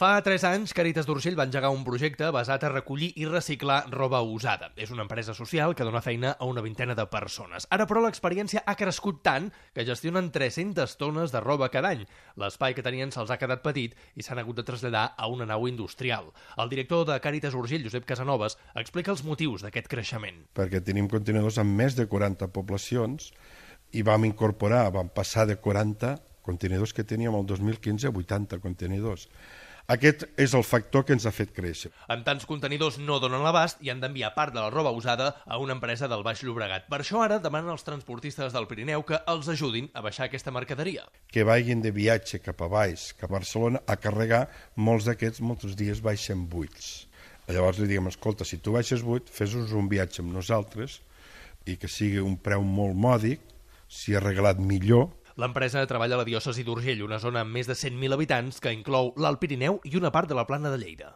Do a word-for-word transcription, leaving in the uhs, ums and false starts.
Fa tres anys, Càritas d'Urgell va engegar un projecte basat a recollir i reciclar roba usada. És una empresa social que dona feina a una vintena de persones. Ara, però, l'experiència ha crescut tant que gestionen tres-centes tones de roba cada any. L'espai que tenien se'ls ha quedat petit i s'han hagut de traslladar a una nau industrial. El director de Càritas Urgell, Josep Casanovas, explica els motius d'aquest creixement. Perquè tenim contenidors amb més de quaranta poblacions i vam incorporar, vam passar de quaranta contenidors que teníem el dos mil quinze a vuitanta contenidors. Aquest és el factor que ens ha fet créixer. Amb tants contenidors no donen l'abast i han d'enviar part de la roba usada a una empresa del Baix Llobregat. Per això ara demanen als transportistes del Pirineu que els ajudin a baixar aquesta mercaderia. Que vagin de viatge cap a baix, cap a Barcelona, a carregar, molts d'aquests molts dies baixen buits. Llavors li diguem, escolta, si tu baixes buit, fes-nos un viatge amb nosaltres i que sigui un preu molt mòdic, si ha arreglat millor. L'empresa treballa a la diòcesi d'Urgell, una zona amb més de cent mil habitants que inclou l'Alt Pirineu i una part de la Plana de Lleida.